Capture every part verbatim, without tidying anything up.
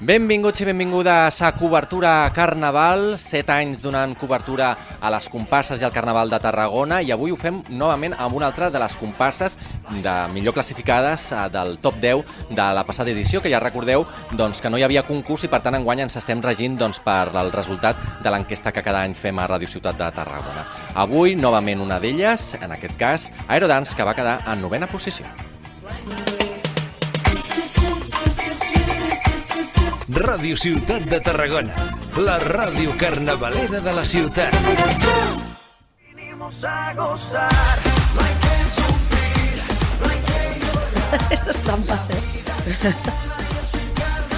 Benvinguts i benvingudes a Cobertura Carnaval, set anys donant cobertura a les comparses i al Carnaval de Tarragona, i avui ho fem novament amb una altra de les comparses de millor classificades del top deu de la passada edició, que ja recordeu doncs, que no hi havia concurs i per tant enguany ens estem regint doncs, per el resultat de l'enquesta que cada any fem a Ràdio Ciutat de Tarragona. Avui, novament una d'elles, en aquest cas, Aerodance, que va quedar en novena posició. Ràdio Ciutat de Tarragona, la ràdio carnavalera de la ciutat. Esto es trampas, eh?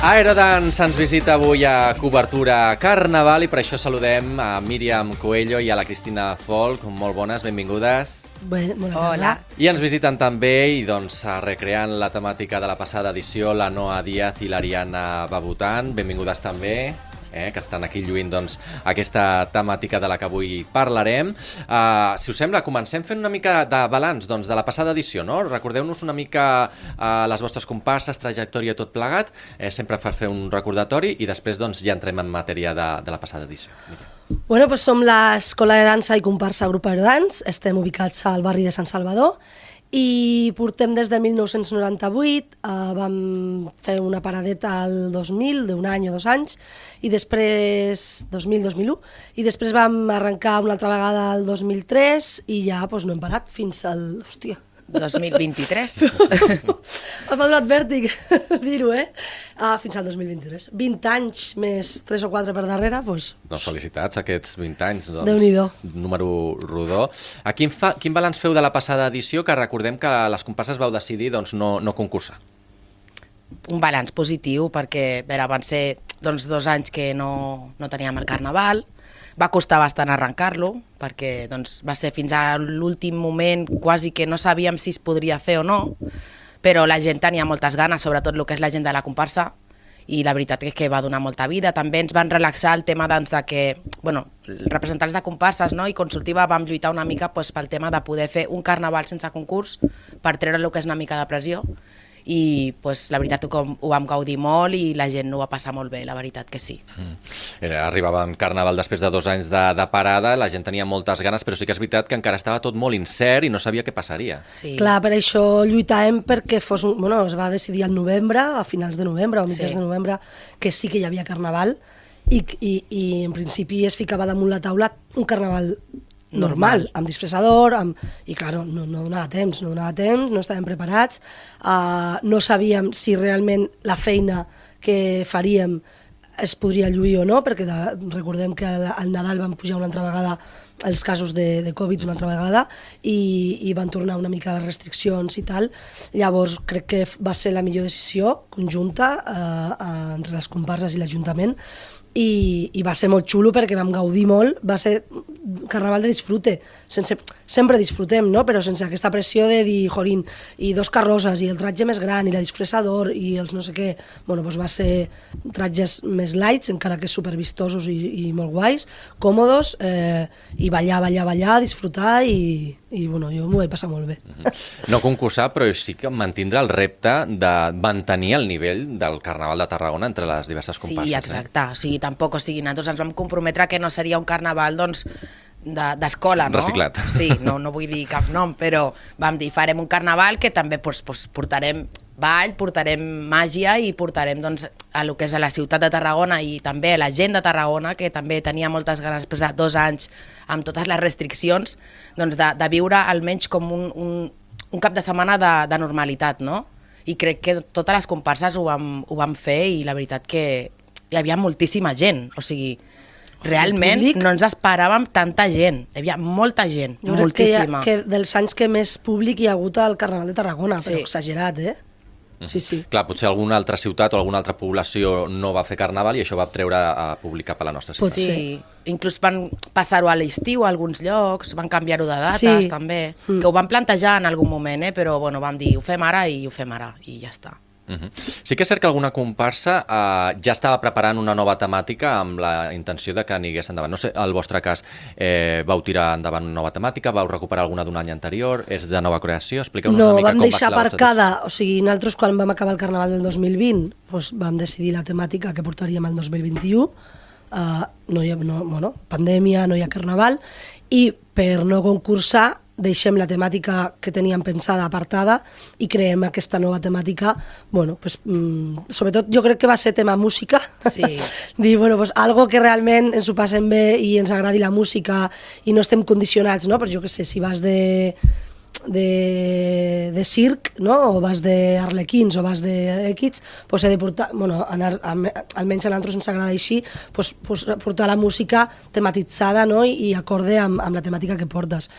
Aerodance ens visita avui a Cobertura Carnaval i per això saludem a Míriam Coello i a la Cristina Folk. Molt bones, benvingudes. Bueno, Hola. I ens visiten també, i doncs recreant la temàtica de la passada edició, la Noa Díaz i l'Ariana Babutan. Benvingudes també, eh, que estan aquí lluint doncs, aquesta temàtica de la que avui parlarem. Uh, si us sembla, comencem fent una mica de balanç doncs, de la passada edició, no? Recordeu-nos una mica uh, les vostres comparses, trajectòria, tot plegat, eh, sempre per fer un recordatori, i després doncs, ja entrem en matèria de, de la passada edició. Mira. Bueno, pues som l'Escola de Dansa i Comparsa Grup Aerodance, estem ubicats al barri de Sant Salvador i portem des de mil nou-cents noranta-vuit, eh, vam fer una paradeta al dos mil, d'un any o dos anys, i després, dos mil dos mil u, i després vam arrencar una altra vegada al dos mil tres i ja pues, no hem parat fins al... Hòstia, dos mil vint-i-tres. m'ha donat vèrtic dir-ho, eh? Ah, fins al dos mil vint-i-tres. vint anys més tres o quatre per darrere, doncs... Doncs felicitats, aquests vint anys. Doncs, Déu-n'hi-do. Número rodó. A quin, fa, quin balanç feu de la passada edició, que recordem que les comparses vau decidir doncs, no, no concursar? Un balanç positiu, perquè vera, van ser doncs, dos anys que no, no teníem el Carnaval. Va costar bastant arrencar-lo, perquè doncs, va ser fins a l'últim moment quasi que no sabíem si es podria fer o no, però la gent tenia moltes ganes, sobretot el que és la gent de la comparsa, i la veritat és que va donar molta vida. També ens van relaxar el tema doncs, de que, bueno, representants de comparses, no? I Consultiva vam lluitar una mica doncs, pel tema de poder fer un carnaval sense concurs per treure el que és una mica de pressió, i pues, la veritat que ho vam gaudir molt i la gent ho va passar molt bé, la veritat que sí. Mm. Arribava en Carnaval després de dos anys de, de parada, la gent tenia moltes ganes, però sí que és veritat que encara estava tot molt incert i no sabia què passaria. Sí. Clar, per això lluitàvem perquè fos un... Bueno, es va decidir al novembre, a finals de novembre o mitjans Sí. de novembre, que sí que hi havia Carnaval i, i, i en principi es ficava damunt la taula un Carnaval normal, Normal. amb disfressador, amb... i clar, no, no, no donava temps, no donava temps, no estàvem preparats, uh, no sabíem si realment la feina que faríem es podria lluir o no, perquè de, recordem que al, al Nadal van pujar una altra vegada els casos de, de Covid una altra vegada i, i van tornar una mica les restriccions i tal. Llavors crec que va ser la millor decisió conjunta uh, uh, entre les comparses i l'Ajuntament, i, i va ser molt xulo perquè vam gaudir molt, va ser carnaval de disfrute, sense, sempre disfrutem, no? Però sense aquesta pressió de dir, jorín, i dos carrosses, i el tratge més gran, i la disfressador, i els no sé què, bueno, doncs va ser tratges més lights, encara que supervistosos i, i molt guais, còmodos, eh, i ballar, ballar, ballar, disfrutar, i, i bueno, jo m'ho vaig passar molt bé. No concursar, però sí que mantindre el repte de mantenir el nivell del Carnaval de Tarragona entre les diverses comparses. Sí, exacte. O sigui, tampoc, o sigui, nosaltres ens vam comprometre que no seria un carnaval, doncs, d'escola, no? Reciclat. Sí, no, no vull dir cap nom, però vam dir, farem un carnaval que també doncs, doncs, portarem ball, portarem màgia i portarem doncs, a lo que és a la ciutat de Tarragona i també a la gent de Tarragona, que també tenia moltes ganes després de dos anys amb totes les restriccions, doncs, de, de viure almenys com un, un, un cap de setmana de, de normalitat, no? I crec que totes les comparses ho vam, ho vam fer i la veritat que hi havia moltíssima gent, o sigui, realment no ens esperàvem tanta gent, hi havia molta gent, Jo crec moltíssima. que, que dels anys que més públic hi ha hagut al Carnaval de Tarragona, Sí. però exagerat, eh? Sí, sí. Clar, potser alguna altra ciutat o alguna altra població no va fer Carnaval i això va treure a publicar per la nostra ciutat. Pot ser. Sí, inclús van passar-ho a l'estiu a alguns llocs, van canviar-ho de dates Sí. també, Mm. que ho van plantejar en algun moment, eh? Però bueno, vam dir, ho fem ara i ho fem ara, i ja està. Uh-huh. Sí que és cert que alguna comparsa eh, ja estava preparant una nova temàtica amb la intenció de que anigués endavant. No sé, al vostre cas, eh, vau tirar endavant una nova temàtica, vau recuperar alguna d'un any anterior, és de nova creació? Expliqueu-nos no, una mica vam com va deixar ser la vostra aparcada, o sigui, nosaltres quan vam acabar el Carnaval del dos mil vint doncs vam decidir la temàtica que portaríem el dos mil vint-i-u, uh, no hi ha, no, bueno, pandèmia, no hi ha Carnaval, i per no concursar deixem la temàtica que teníem pensada apartada i creem aquesta nova temàtica, bueno, pues, mm, sobretot jo crec que va ser tema música, Sí. dir, bueno, pues, algo que realment ens ho passem bé i ens agradi la música i no estem condicionats, no? Però jo què sé, si vas de de, de circ, no? O vas d'arlequins o vas de X, pues he de portar, bueno, anar, almenys a nosaltres ens agrada així, pues, pues portar la música tematitzada, no? I, i acorde amb, amb la temàtica que portes.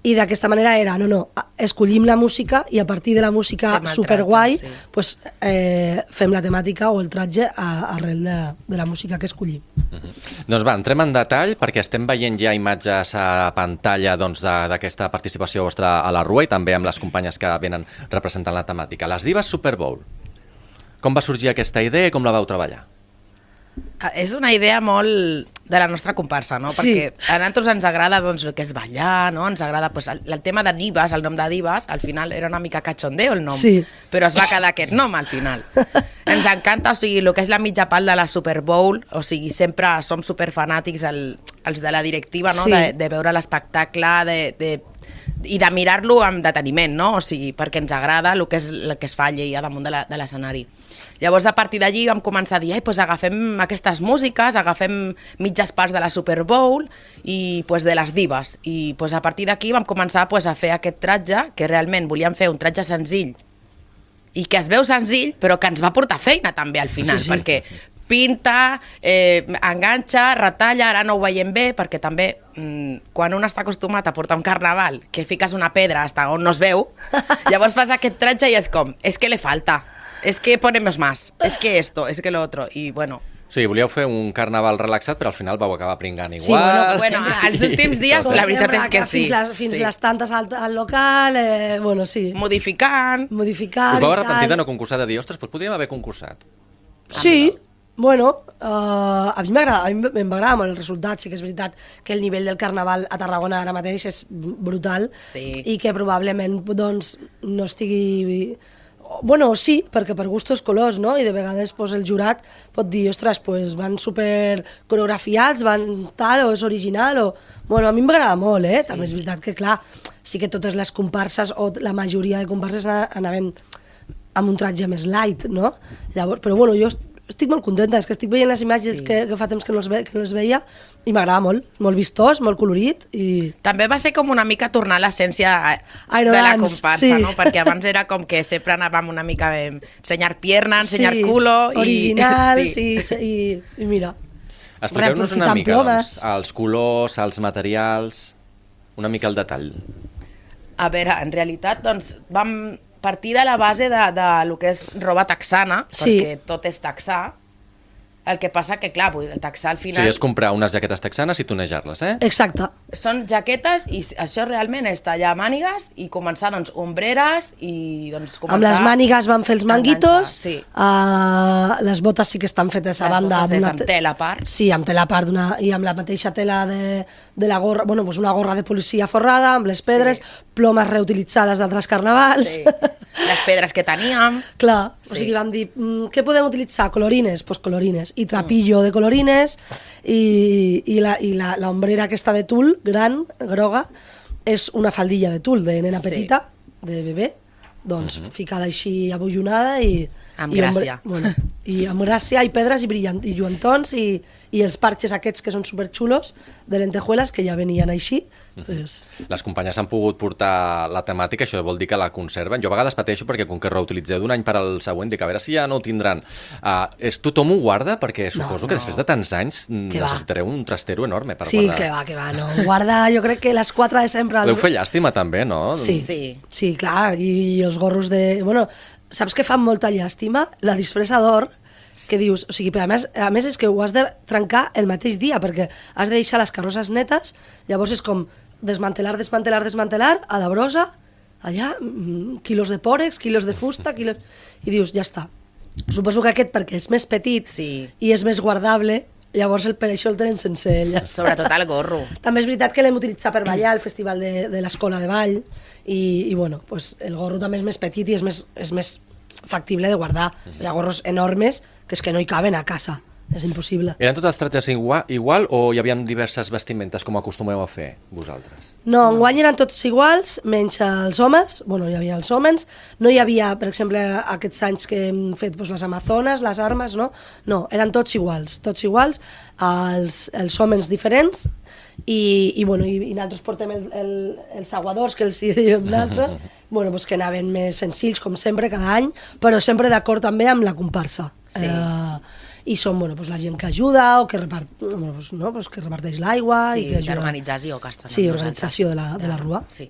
I d'aquesta manera era, no, no, escollim la música i a partir de la música superguai sí. pues, eh, fem la temàtica o el tratge a, arrel de, de la música que escollim. Uh-huh. Doncs va, entrem en detall perquè estem veient ja imatges a pantalla doncs, d'aquesta participació vostra a la Rua i també amb les companyes que venen representant la temàtica. Les Divas Super Bowl. Com va sorgir aquesta idea i com la vau treballar? És una idea molt de la nostra comparsa, no? Sí. Perquè a nosaltres ens agrada doncs, el que és ballar, no? Ens agrada pues, el, el tema de divas, el nom de divas, al final era una mica cachondeo el nom, sí. però es va quedar aquest nom al final. Ens encanta, o sigui, el que és la mitja pal de la Super Bowl, o sigui, sempre som superfanàtics el, els de la directiva, no? Sí. De, de veure l'espectacle, de, de, i de mirar-lo amb deteniment, no? O sigui, perquè ens agrada el que, és, el que es fa allí a damunt de l'escenari. Llavors, a partir d'allí vam començar a dir, pues, agafem aquestes músiques, agafem mitges parts de la Super Bowl i pues, de les divas. I pues, a partir d'aquí vam començar pues, a fer aquest tratge, que realment volíem fer un tratge senzill i que es veu senzill, però que ens va portar feina també al final, sí, sí. perquè pinta, eh, enganxa, retalla, ara no ho veiem bé, perquè també mmm, quan un està acostumat a portar un carnaval, que fiques una pedra hasta on no es veu, llavors fas aquest tratge i és com, és que le falta, és que ponemos más, és que esto, és que lo otro, i bueno... Sí, volíeu fer un carnaval relaxat, però al final vau acabar pringant igual. Sí, bueno, bueno als últims dies la veritat és que sí. Fins les, fins sí. les tantes al, al local, eh, bueno, sí. Modificant. Modificant. Us vau arrepentir de no concursar, de dir, ostres, doncs podríem haver concursat. Sí, bueno, uh, a mi m'agrada, a mi m'agrada molt el resultat, sí que és veritat que el nivell del carnaval a Tarragona ara mateix és brutal sí. i que probablement doncs, no estigui... Bueno, sí, perquè per gustos colors, no? I de vegades pues, el jurat pot dir, ostres, pues, van super coreografiats, van tal, o és original, o... Bueno, a mi m'agrada molt, eh? Sí. També és veritat que, clar, sí que totes les comparses, o la majoria de comparses anaven amb un tratge més light, no? Llavors, però bueno, jo estic molt contenta, és que estic veient les imatges sí. que, que fa temps que no els, ve, que no els veia i m'agrada molt, molt vistós, molt colorit i... També va ser com una mica tornar a l'essència de la comparsa, sí. no? Perquè abans era com que sempre anàvem una mica a ensenyar pierna, ensenyar sí, culo i... original, sí, sí, i, i mira... Expliqueu-nos una mica, doncs, els colors, els materials, una mica el detall. A veure, en realitat, doncs, vam partir de la base de, de lo que és roba texana, sí. perquè tot és texà. El que passa que, clar, el texà al final... Sí, és comprar unes jaquetes texanes i tonejar-les, eh? Exacte. Són jaquetes i això realment és tallar mànigues i començar, doncs, ombreres i, doncs, començar... Amb les mànigues van fer els manguitos, sí. uh, les botes sí que estan fetes a les banda... Les botes és amb tela a part. Sí, amb tela a part i amb la mateixa tela de, de la gorra, bueno, doncs una gorra de policia forrada, amb les pedres, sí. plomes reutilitzades d'altres carnavals... Sí. Les pedres que teníem... Clar, sí. o sigui, vam dir, mm, què podem utilitzar? Colorines? Doncs pues colorines. I trapillo mm. de colorines i, i, la, i la, la ombrera aquesta de tul, gran, groga, és una faldilla de tul de nena petita, sí. de bebè, doncs mm -hmm. ficada així abollonada i... Amb i gràcia. Ombre, bueno, I amb gràcia, i pedres, i, brillant, i lluentons, i, i els parxes aquests que són superxulos, de lentejuelas, que ja venien així. Mm -hmm. pues... Les companyes han pogut portar la temàtica, això vol dir que la conserven. Jo a vegades pateixo perquè com que reutilitzeu d'un any per al següent, dic a veure si ja no ho tindran. Uh, és, tothom ho guarda? Perquè suposo no, que després de tants anys que necessitareu va. un trastero enorme per sí, guardar. Sí, que va, que va, no. Guarda, jo crec que les quatre de sempre... Els... L'heu fet llàstima també, no? Sí, sí, sí clar, i, i els gorros de... Bueno, saps que fan molta llàstima? La disfressa d'or, que dius, o sigui, a més, a més és que ho has de trencar el mateix dia, perquè has de deixar les carrosses netes, llavors és com desmantelar, desmantelar, desmantelar, a la brossa, allà, mm, quilos de pòrex, quilos de fusta, quilos... i dius, ja està. Suposo que aquest, perquè és més petit Sí. i és més guardable, llavors el, per això el tenen sense ella. Sobretot el gorro. També és veritat que l'hem utilitzat per ballar al festival de, de l'escola de ball i, i bueno, pues el gorro també és més petit i és més, és més factible de guardar. Hi ha gorros enormes que és que no hi caben a casa, és impossible. Eren tots els tratges igual, igual o hi havia diverses vestimentes com acostumeu a fer vosaltres? No, enguany eren tots iguals, menys els homes, bueno, hi havia els homes, no hi havia, per exemple, aquests anys que hem fet doncs, les amazones, les armes, no? No, eren tots iguals, tots iguals, els, els homes diferents, i, i, bueno, i, i nosaltres portem el, el, els aguadors, que els hi diem nosaltres, bueno, doncs que anaven més senzills, com sempre, cada any, però sempre d'acord també amb la comparsa. Sí. Eh, i són bueno, doncs la gent que ajuda o que, repart, bueno, doncs, no, doncs que reparteix l'aigua. Sí, i que ajuda... d'organització que estan. Sí, organització de la, de la rua. Sí.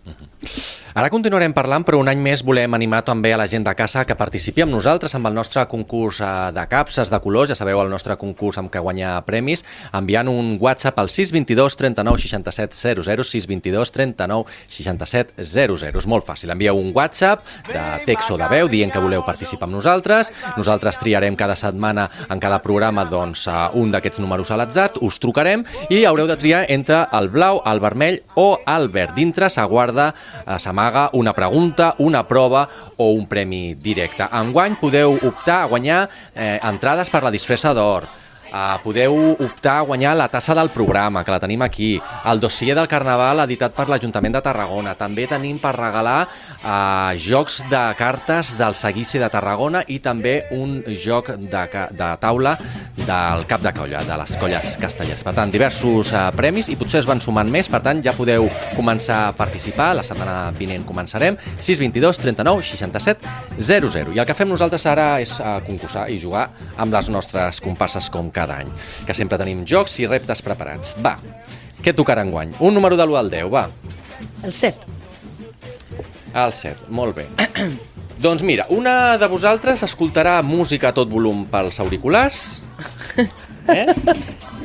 Ara continuarem parlant, però un any més volem animar també a la gent de casa que participi amb nosaltres amb el nostre concurs eh, de capses, de colors, ja sabeu, el nostre concurs amb què guanyar premis, enviant un WhatsApp al sis dos dos, trenta nou, seixanta set, zero zero, sis dos dos, trenta nou, seixanta set, zero zero. És molt fàcil, envieu un WhatsApp de text o de veu dient que voleu participar amb nosaltres, nosaltres triarem cada setmana en cada programa doncs, un d'aquests números a l'atzar, us trucarem i haureu de triar entre el blau, el vermell o el verd. Dintre s'aguarda, s'amaga una pregunta, una prova o un premi directe. Enguany podeu optar a guanyar eh, entrades per la disfressa d'or. Uh, podeu optar a guanyar la tassa del programa, que la tenim aquí, el dossier del Carnaval editat per l'Ajuntament de Tarragona. També tenim per regalar uh, jocs de cartes del Seguici de Tarragona i també un joc de, de taula del cap de colla, de les colles castellers. Per tant, diversos uh, premis i potser es van sumant més, per tant, ja podeu començar a participar. La setmana vinent començarem. sis dos dos, trenta nou, seixanta set, zero zero. I el que fem nosaltres ara és uh, concursar i jugar amb les nostres comparses com cada any, que sempre tenim jocs i reptes preparats. Va, què tocarà enguany? Un número de l'u al deu, va. El set. El set, molt bé. Doncs mira, una de vosaltres escoltarà música a tot volum pels auriculars, eh?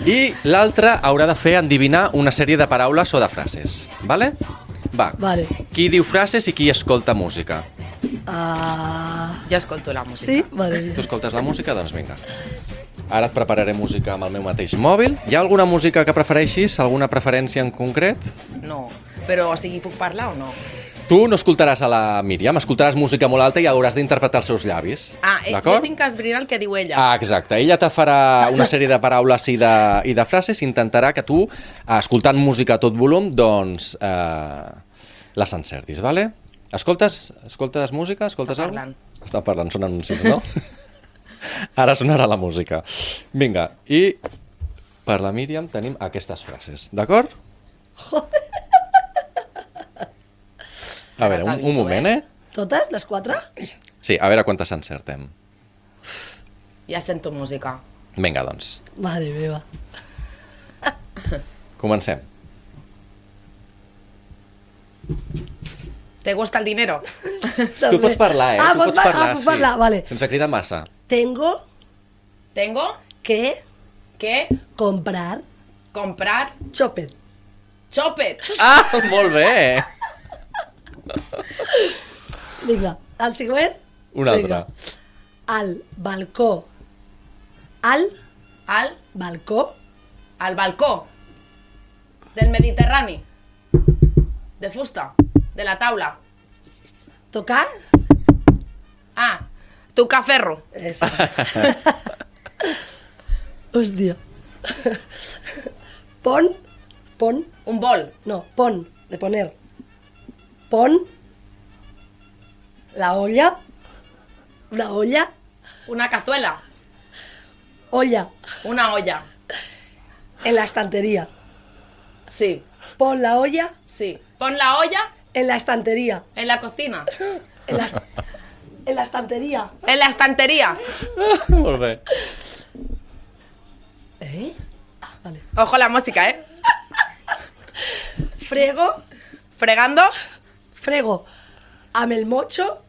I l'altra haurà de fer endevinar una sèrie de paraules o de frases, vale? Va, Vale. qui diu frases i qui escolta música? Uh... Jo escolto la música. Sí? Vale. Tu escoltes la música? Doncs vinga. Ara et prepararé música amb el meu mateix mòbil. Hi ha alguna música que prefereixis? Alguna preferència en concret? No, però o sigui, puc parlar o no? Tu no escoltaràs a la Míriam, escoltaràs música molt alta i hauràs d'interpretar els seus llavis. Ah, eh, jo d'acord? tinc que esbrinar el que diu ella. Ah, exacte. Ella te farà una sèrie de paraules i de, i de frases i intentarà que tu, escoltant música a tot volum, doncs eh, les encertis, vale? Escoltes, escoltes música? Escoltes Està alguna parlant. cosa? Està parlant, són anuncis, no? Ara sonarà la música. Vinga, i per la Míriam tenim aquestes frases, d'acord? A veure, un, un moment, eh? Totes, les quatre? Sí, a veure quantes encertem. Ja sento música. Vinga, doncs, Mare meva. comencem. ¿Te gusta el dinero? Tu pots parlar, eh? Ah, tu pot pots par- parlar, ah, puc parlar, sí. vale. Sense cridar massa. Tengo Tengo que que comprar comprar chopet. chopet. Ah, molt bé! Vinga, el següent. Un altre. Vinga. Al balcó. Al Al, balcó. al balcó del Mediterrani. De fusta. De la taula. Tocar. Ah, tocar ferro. Eso. Hòstia. Pon. Pon. Un bol. No, pon. De poner. Pon. La olla. Una olla. Una cazuela. Olla. Una olla. En la estantería. Sí, Pon la olla sí. Pon la olla en la estantería. en la cocina. En la, est- en la estantería. En la estantería. Molt bé. ¿Eh? Ah, vale. Ojo la música, ¿eh? Frego. Fregando. Frego. Amb el mocho.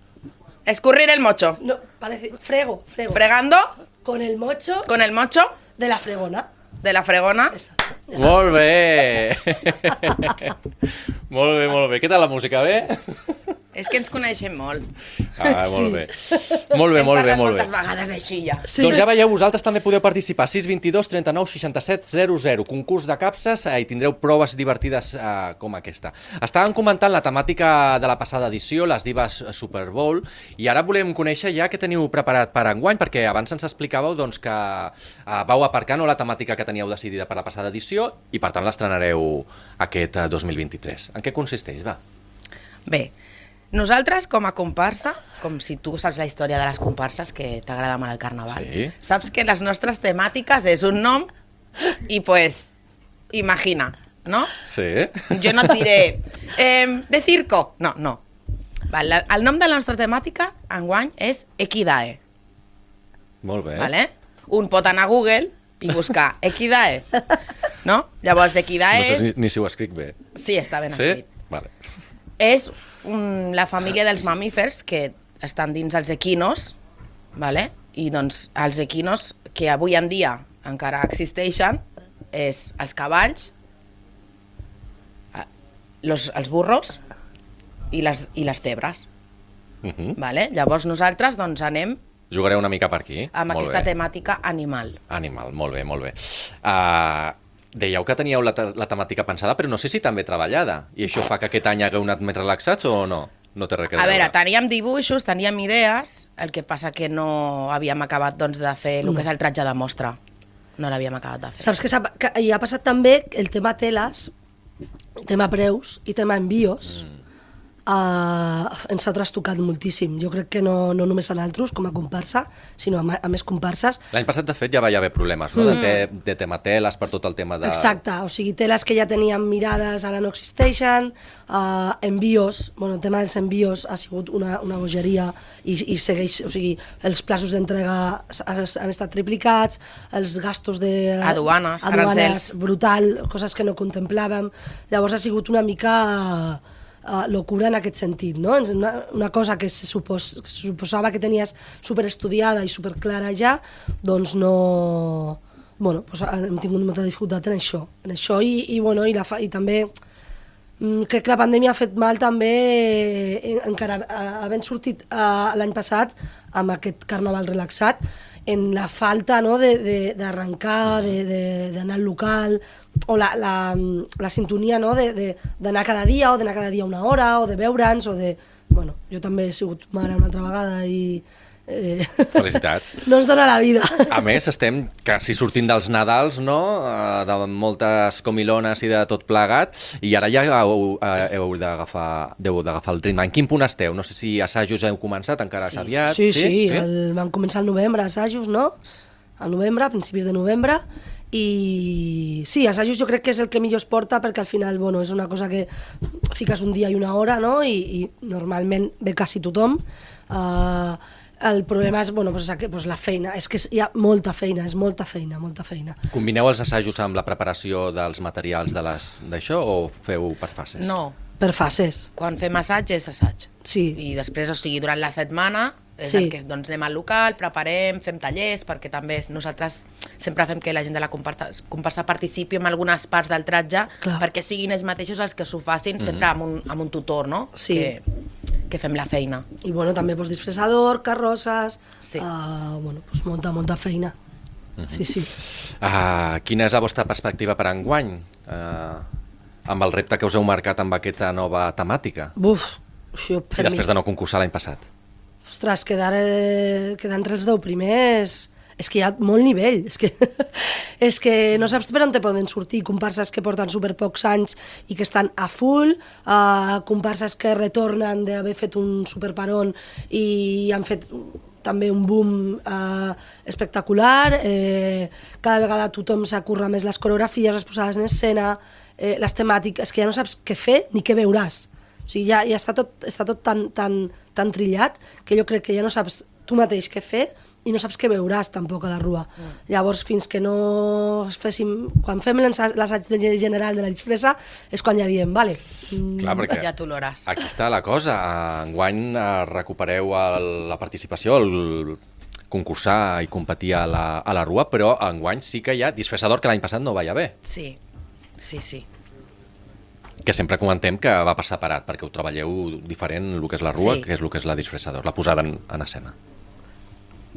Escurrir el mocho. No, parece. Frego. Frego. Fregando Con el mocho con el mocho de la fregona. de la fregona. Esa. Molt bé! Molt bé, molt bé. Què tal la música, bé? És que ens coneixem molt. Ah, molt bé. Molt bé, Hem molt bé, parlat molt bé. moltes vegades així ja. Sí. Doncs ja veieu, vosaltres també podeu participar. sis dos dos, trenta-nou, seixanta-set, zero zero. Concurs de capses eh, i tindreu proves divertides eh, com aquesta. Estàvem comentant la temàtica de la passada edició, les divas Super Bowl, i ara volem conèixer ja què teniu preparat per enguany, perquè abans ens explicàveu doncs, que eh, vau aparcar no, la temàtica que teníeu decidida per la passada edició i per tant l'estrenareu aquest eh, dos mil vint-i-tres. En què consisteix, va? Bé, nosaltres, com a comparsa, com si tu saps la història de les comparses, que t'agrada molt el carnaval, Sí. saps que les nostres temàtiques és un nom i, pues, imagina, no? Sí. Jo no et diré, eh, de circo. No, no. Val, la- el nom de la nostra temàtica, enguany, és Equidae, Molt bé. vale? Un pot anar a Google i buscar Equidae, no? Llavors, Equidae No sé és... ni, ni si ho escric bé. Sí, està ben Sí? escrit. Vale. És um, la família dels mamífers que estan dins els equinos, vale? I doncs els equinos que avui en dia encara existeixen és els cavalls, eh, los, els burros i les, i les zebres. Uh -huh. Vale? Llavors nosaltres doncs, anem Jugareu una mica per aquí. amb Molt aquesta bé. temàtica animal. Animal, molt bé, molt bé. Uh, dèieu que teníeu la, te la temàtica pensada, però no sé si també treballada. I això fa que aquest any hagueu anat més relaxats o no? No té res a A veure. veure, teníem dibuixos, teníem idees, el que passa que no havíem acabat doncs, de fer el que és el tratge de mostra. No l'havíem acabat de fer. Saps que, s'ha- que hi ha passat també el tema teles, tema preus i tema envios, mm. Uh, ens ha trastocat moltíssim. Jo crec que no, no només a nosaltres com a comparsa, sinó a, ma- a més comparses. L'any passat, de fet, ja va haver problemes, no? De, te de tema teles, per tot el tema de... Exacte, o sigui, teles que ja teníem mirades ara no existeixen, uh, envios, bueno, el tema dels envios ha sigut una, una bogeria i, i segueix, o sigui, els plaços d'entrega s- han estat triplicats, els gastos de... Aduanes, aduanes arancels. brutal, coses que no contemplàvem. Llavors ha sigut una mica... Uh, locura en aquest sentit, no? És Una, una cosa que se, supos, que se suposava que tenies superestudiada i superclara ja, doncs no... Bueno, doncs hem tingut molta dificultat en això, en això i, i, bueno, i, la fa, i també mm, crec que la pandèmia ha fet mal també, eh, encara eh, havent sortit eh, l'any passat amb aquest carnaval relaxat, en la falta no, d'arrencar, d'anar al local, o la, la, la sintonia no, d'anar cada dia, o d'anar cada dia una hora, o de veure'ns, o de... Bueno, jo també he sigut mare una altra vegada i... Eh, Felicitats. no ens dona la vida. A més, estem quasi sortint dels Nadals, no? Eh, De moltes comilones i de tot plegat, i ara ja heu, eh, heu d'agafar heu d'agafar el ritme. En quin punt esteu? No sé si assajos heu començat, encara és aviat. Sí, sí, sí? El, van començar al novembre, assajos, no? Al novembre, a principis de novembre, i sí, assajos jo crec que és el que millor es porta perquè al final, bueno, és una cosa que fiques un dia i una hora, no? I, i normalment ve quasi tothom. Uh, el problema és, bueno, pues, pues la feina, és que hi ha molta feina, és molta feina, molta feina. Combineu els assajos amb la preparació dels materials de les d'això o feu per fases? No, Per fases, quan fem assaig és assaig. sí. I després, o sigui, durant la setmana és Sí. el que doncs, anem al local, preparem, fem tallers, perquè també nosaltres sempre fem que la gent de la comparsa, comparsa participi en algunes parts del tratge, Clar. perquè siguin ells mateixos els que s'ho facin sempre amb un, amb un tutor, no? Sí. Que, que fem la feina. I bueno, també pues, disfressador, carrosses, Sí. uh, bueno, pues, molta, molta feina. Sí, sí. Uh, quina és la vostra perspectiva per enguany? Uh, amb el repte que us heu marcat amb aquesta nova temàtica? Buf, això I per mi... després de no concursar l'any passat? Ostres, quedar, eh, quedar entre els deu primers... És que hi ha molt nivell, és que, és que no saps per on te poden sortir, comparses que porten super pocs anys i que estan a full, uh, comparses que retornen d'haver fet un superparon i han fet també un boom uh, espectacular, eh, cada vegada tothom s'acurra més les coreografies, les posades en escena, eh, les temàtiques, que ja no saps què fer ni què veuràs. O sigui, ja, ja està tot, està tot tan, tan, tan trillat que jo crec que ja no saps tu mateix què fer i no saps què veuràs tampoc a la rua. Mm. Llavors, fins que no féssim... Quan fem l'assaig general de la disfressa és quan ja diem, vale... Mm, Clar, perquè Ja t'oloràs. aquí està la cosa. Enguany eh, recupereu el, la participació, el concursar i competir a la, a la rua, però enguany sí que hi ha disfressador que l'any passat no va haver. Sí, sí, sí. Que sempre comentem que va per separat, perquè ho treballeu diferent el que és la rua, Sí. que és el que és la disfressador, la posada en, en escena.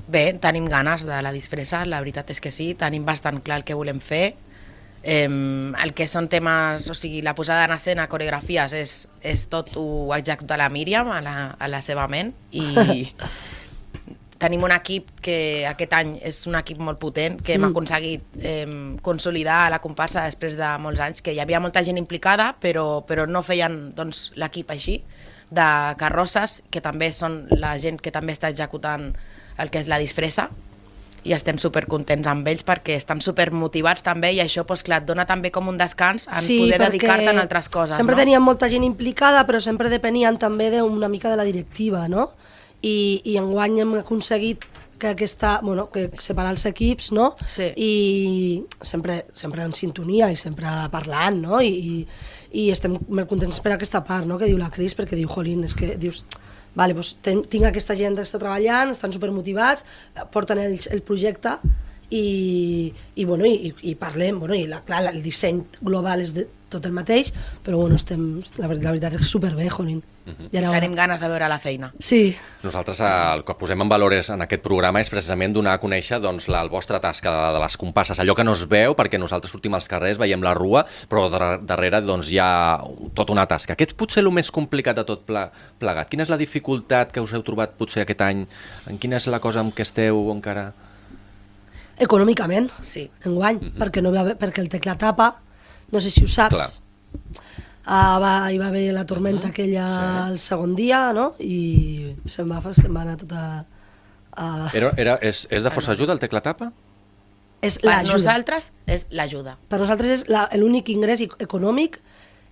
Bé, tenim ganes de la disfressa, la veritat és que sí, tenim bastant clar el que volem fer. Eh, el que són temes, o sigui, la posada en escena, coreografies, és, és tot ho executa la Míriam a la, a la seva ment i tenim un equip que aquest any és un equip molt potent, que hem Mm. aconseguit eh, consolidar la comparsa després de molts anys, que hi havia molta gent implicada, però, però no feien doncs, l'equip així, de carrosses, que també són la gent que també està executant el que és la disfressa, i estem supercontents amb ells perquè estan supermotivats també, i això doncs, clar, et dona també com un descans en Sí, poder perquè dedicar-te a altres coses. Sempre no? teníem molta gent implicada, però sempre depenien també d'una mica de la directiva, no? I, i enguany hem aconseguit que aquesta, bueno, que separar els equips, no? Sí. I sempre, sempre en sintonia i sempre parlant, no? I, i, i estem molt contents per aquesta part, no? Que diu la Cris, perquè diu, jolín, és que dius, vale, doncs ten, tinc aquesta gent que està treballant, estan supermotivats, porten el, el projecte i, i, bueno, i, i parlem, bueno, i la, clar, el disseny global és de tot el mateix, però bueno, estem, la, la veritat és que superbé, jolín. Mhm. I ara, Tenim ganes de veure la feina. Sí, Nosaltres el que posem en valores en aquest programa és precisament donar a conèixer doncs, la, el vostra tasca de, de les compasses, allò que no es veu, perquè nosaltres sortim als carrers, veiem la rua, però dar darrere doncs, hi ha tota una tasca. Aquest és potser el més complicat de tot ple plegat. Quina és la dificultat que us heu trobat potser aquest any? En quina és la cosa amb què esteu encara? econòmicament, Sí. enguany, mm -hmm. perquè, no va haver, perquè el tecla tapa, no sé si ho saps, uh, va, hi va haver la tormenta mm -hmm. aquella Sí. el segon dia, no? I se'n va, se'n va anar tota... Uh, Era, era, és, és de força ajuda el tecla tapa? és Per l'ajuda. nosaltres és l'ajuda. Per nosaltres és la- l'únic ingrés i- econòmic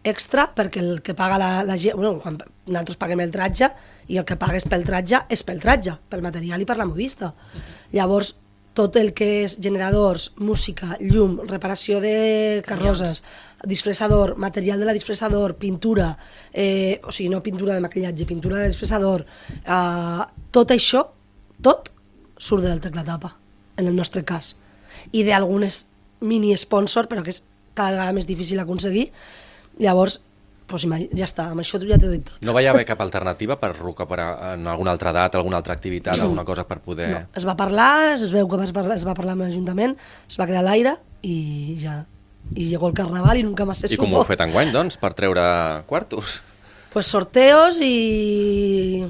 extra, perquè el que paga la, la gent, bueno, quan nosaltres paguem el tratge, i el que pagues pel tratge és pel tratge, pel material i per la modista. Llavors, tot el que és generadors, música, llum, reparació de carrosses, disfressador, material de la disfressador, pintura, eh, o sigui, no pintura de maquillatge, pintura de disfressador, eh, tot això, tot, surt del teclatapa, en el nostre cas. I d'algunes mini-sponsor, però que és cada vegada més difícil aconseguir. Llavors, doncs, ja està, amb això ja t'he dit tot. No va haver cap alternativa per recuperar en alguna altra data, alguna altra activitat, alguna cosa per poder... No, es va parlar, es veu que es parlar, es va parlar amb l'Ajuntament, es va quedar a l'aire i ja... I llegó el Carnaval i nunca más se I supo. com ho heu fet enguany, doncs, per treure quartos? Pues sorteos i...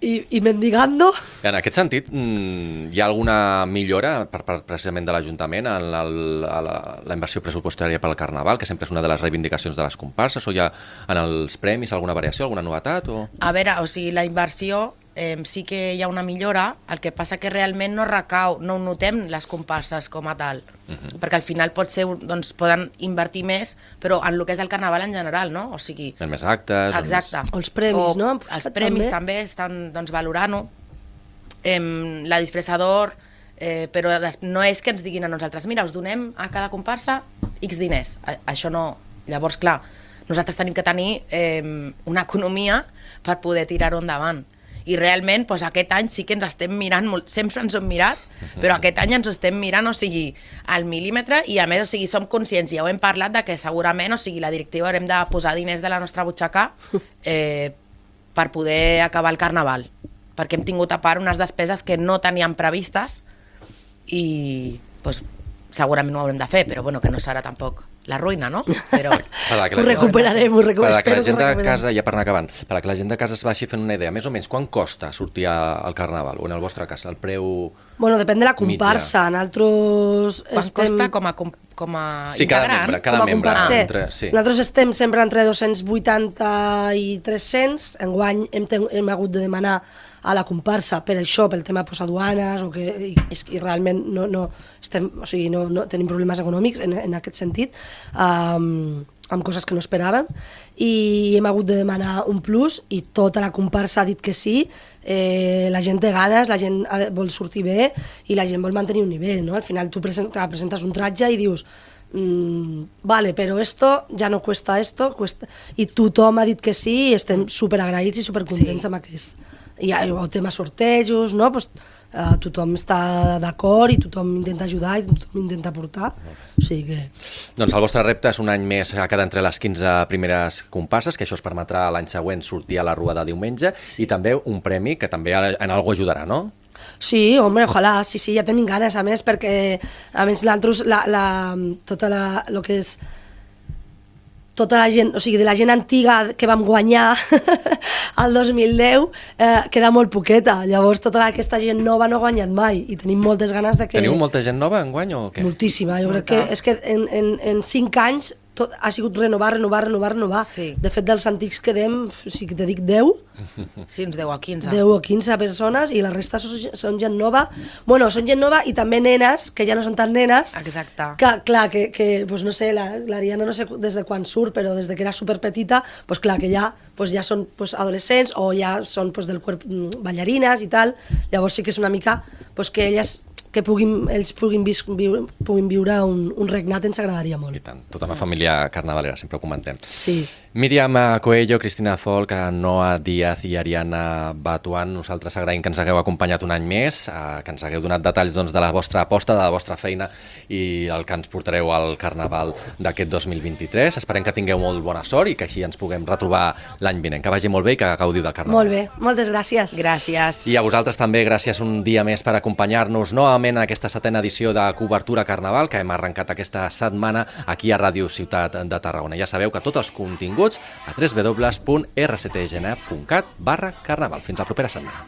i, i mendigando. En aquest sentit, mm, hi ha alguna millora per part precisament de l'Ajuntament en la, la, la inversió pressupostària per al Carnaval, que sempre és una de les reivindicacions de les comparses, o hi ha en els premis alguna variació, alguna novetat? O... A veure, o sigui, la inversió eh, sí que hi ha una millora, el que passa que realment no recau, no ho notem les comparses com a tal, uh -huh. perquè al final pot ser, doncs, poden invertir més, però en el que és el Carnaval en general, no? O sigui, En més actes... en exacte. Més... O els premis, O no? Han Els posat premis també. també, estan doncs, valorant-ho. Em, la disfressador, eh, però des- no és que ens diguin a nosaltres, mira, us donem a cada comparsa X diners. A, això no... Llavors, clar, nosaltres tenim que tenir eh, una economia per poder tirar-ho endavant. I realment, doncs, aquest any sí que ens estem mirant, molt, sempre ens ho hem mirat, però aquest any ens ho estem mirant, o sigui, al mil·límetre, i a més, o sigui, som conscients, ja ho hem parlat, de que segurament, o sigui, la directiva haurem de posar diners de la nostra butxaca eh, per poder acabar el Carnaval, perquè hem tingut a part unes despeses que no teníem previstes i doncs, segurament ho haurem de fer, però bueno, que no serà tampoc la ruïna, no? Però Per a que Ho la gent- recuperarem, ho Per recuperarem. a que la espero gent que ho de recuperem. casa, ja per anar acabant, per a que la gent de casa es vagi fent una idea, més o menys, quan costa sortir a- al Carnaval, o en el vostre cas, el preu... Bueno, depèn de la comparsa. Nosaltres quan estem... costa com a, com, com a Sí, cada integrant? membre, cada com a membre. comparser. Entre, sí. Nosaltres estem sempre entre dos-cents vuitanta i tres-cents. Enguany hem, ten- hem hagut de demanar a la comparsa per això, pel tema pues, aduanes, o que i, és que realment no, no, estem, o sigui, no, no tenim problemes econòmics en, en aquest sentit, um, amb coses que no esperàvem, i hem hagut de demanar un plus i tota la comparsa ha dit que sí, eh, la gent té ganes, la gent ha, vol sortir bé i la gent vol mantenir un nivell, no? Al final tu present, clar, presentes un tratge i dius Mm, vale, però esto ja no cuesta esto, cuesta... i tothom ha dit que sí i estem superagraïts i supercontents Sí. amb aquest. I hi ha el tema sortejos, no? Pues, uh, tothom està d'acord i tothom intenta ajudar i tothom intenta aportar, o sigui que... Doncs el vostre repte és un any més a quedar entre les quinze primeres comparses, que això us permetrà l'any següent sortir a la Rua de diumenge, sí. I també un premi que també en algú ajudarà, no? Sí, home, ojalà, sí, sí, ja tenim ganes, a més, perquè a més l'altres, la, la, tota la, lo que és tota la gent, o sigui, de la gent antiga que vam guanyar el dos mil deu, eh, queda molt poqueta. Llavors, tota aquesta gent nova no ha guanyat mai i tenim moltes ganes de que... Teniu molta gent nova en guany o què? Moltíssima, jo crec que és que en, en, en cinc anys tot ha sigut renovar, renovar, renovar, renovar. Sí. De fet, dels antics quedem, si te dic deu, sí, uns deu o quinze. deu o quinze persones i la resta són, són gent nova. Bueno, són gent nova i també nenes, que ja no són tan nenes. Exacte. Que, clar, que, que pues no sé, l'Ariana no sé des de quan surt, però des de que era superpetita, pues clar, que ja, pues ja són pues, adolescents o ja són pues, del cuerp ballarines i tal. Llavors sí que és una mica pues, que elles que puguin, ells puguin, vis, viure, puguin viure un, un regnat ens agradaria molt. I tant, tota una família carnavalera, sempre ho comentem. Sí. Míriam Coello, Cristina Folk, Noa Díaz i Ariana Batuan, nosaltres agraïm que ens hagueu acompanyat un any més, que ens hagueu donat detalls doncs, de la vostra aposta, de la vostra feina i el que ens portareu al Carnaval d'aquest dos mil vint-i-tres. Esperem que tingueu molt bona sort i que així ens puguem retrobar l'any vinent. Que vagi molt bé i que gaudiu del Carnaval. Molt bé, moltes gràcies. Gràcies. I a vosaltres també, gràcies un dia més per acompanyar-nos novament en aquesta setena edició de Cobertura Carnaval que hem arrencat aquesta setmana aquí a Ràdio Ciutat de Tarragona. Ja sabeu que tots els continguts a w w w punt r c t g n punt cat barra carnaval. Fins la propera setmana.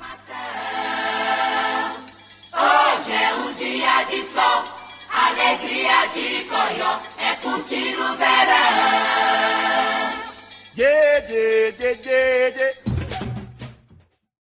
Hoje é um dia de sol, alegria de coió, é curtir o verão. Yeah, yeah, yeah, yeah, yeah.